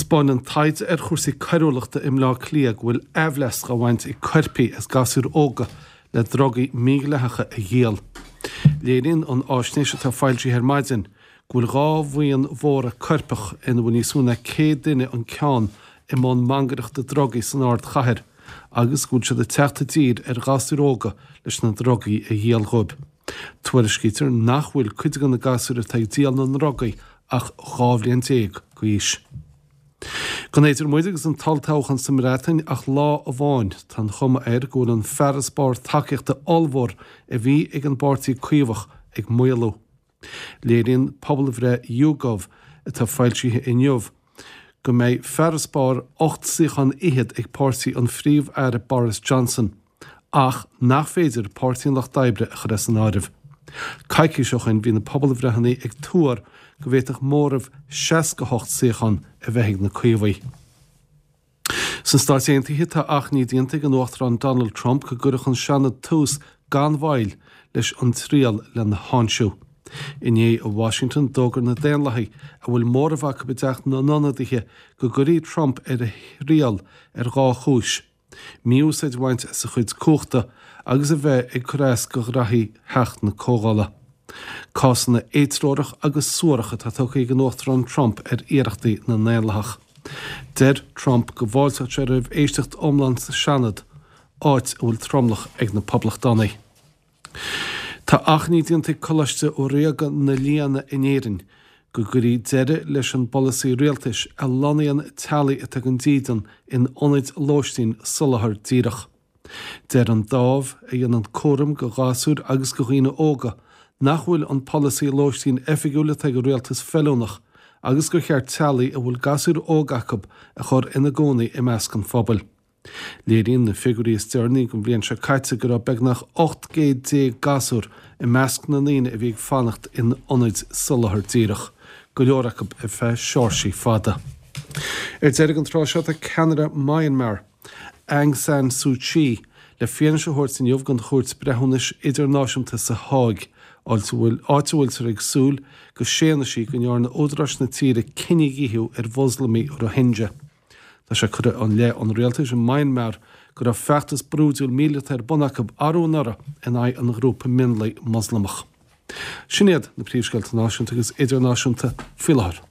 Spáineann taighde ar chúrsaí coiriúlachta i mBleá Cliath go bhfuil aimhleas á bhaint ag coirpigh as gasúir óga le drugaí mídhleathacha a dhíol. Léiríonn an fháisnéis atá foilsithe ar maidin go bhfuil 2 bhuíon mhóra coirpeach ina bhfuil níos mó ná 100 duine an ceann i mbun mangaireachta drugaí san ardchathair agus go bhfuil siad ag teacht i dtír ar ghasúir óga leis na drugaí a dhíol dhóibh. Tuairiscítear nach bhfuil cuid de na gasúir atá ag díol na ndrugaí ach 12 bhliain d'aois. Gan idir muid agus an t-olltoghchán sa mBreatain ach lá amháin, tá an chuma air go bhfuil an farasbarr tacaíochta ollmhór a bhí ag an bPáirtí Caomhach ag maolú. Léiríonn pobalbhreith YouGov atá foilsithe inniu go mbeidh farasbarr 8 suíochán fhichead ag páirtí an Phríomh-Aire Boris Johnson ach nach féidir Páirtí an Lucht Oibre a chur as an áireamh. Coicís ó shin bhí na pobalbhreitheanna ag tuar go bhféadfadh móramh 68 suíochán a bheith ag na Caomhaigh. Sna Stáit Aontaithe, tá achainí déanta ag an Uachtarán Donald Trump go gcuirfeadh an Seanad tús gan mhoill leis an triail lena tháinseamh. Inné i Washington, d'fhógair na Daonlathaigh, a bhfuil móramh acu i dTeach na nIonadaithe, go gcuirfí Trump ar a thriail ar dhá chúis. mí-úsáid a bhaint as a chuid cumhachta agus a bheith ag cur as do ghraithí Theach na Comhdhála. Cásanna éatreorach agus suarach atá tugtha ag an Uachtarán Trump ar iarrachtaí na nDaonlathach. Deir Trump go bhfáilteodh sé roimh éisteacht iomlán sa Seanad, áit a bhfuil tromlach ag na Poblachtánaigh. Tá achainí déanta ag Coláiste Ríoga na Lianna in Éirinn go gcuirfí deireadh leis an bpolasaí rialtais a lonnaíonn teaghlaigh atá gan dídean in ionaid lóistín soláthar díreach. Deir an dámh, a dhéanann cúram go ghasúir agus go dhaoine óga, nach bhfuil an polasaí lóistín oifigiúil atá ag an rialtas feiliúnach agus gur cheart teaghlaigh a bhfuil gasúir óga acu a chur ina gcónaí i measc an phobail. Léiríonn na figiúirí is deireanaí don bhliain seo caite go raibh beagnach 18 gcéad gasúr i measc na ndaoine a bhí ag fanacht in ionaid soláthar díreach, go leor acu ar feadh seoirsí fada. Ar deireadh an tráth seo tá ceannaire Myanmar, Aung San Suu Kyi, le fianaise a thabhairt inniu don Chúirt Breithiúnais Idirnáisiúnta sa Háig, áit a bhfuil áit a bhfuiltear ag súil go séanfaidh sí go ndearna údaráis na tíre cinedhíothú ar Mhoslamaigh Rohingya. Tá sé curtha i leith an rialtais i Myanmar go raibh feachtas brúidiúil míleata ar bun acu arú anuraidh in aghaidh an ghrúpa mionlaigh Moslamach. Sin iad na príomhscéalta náisiúnta agus idirnáisiúnta faoi láthair.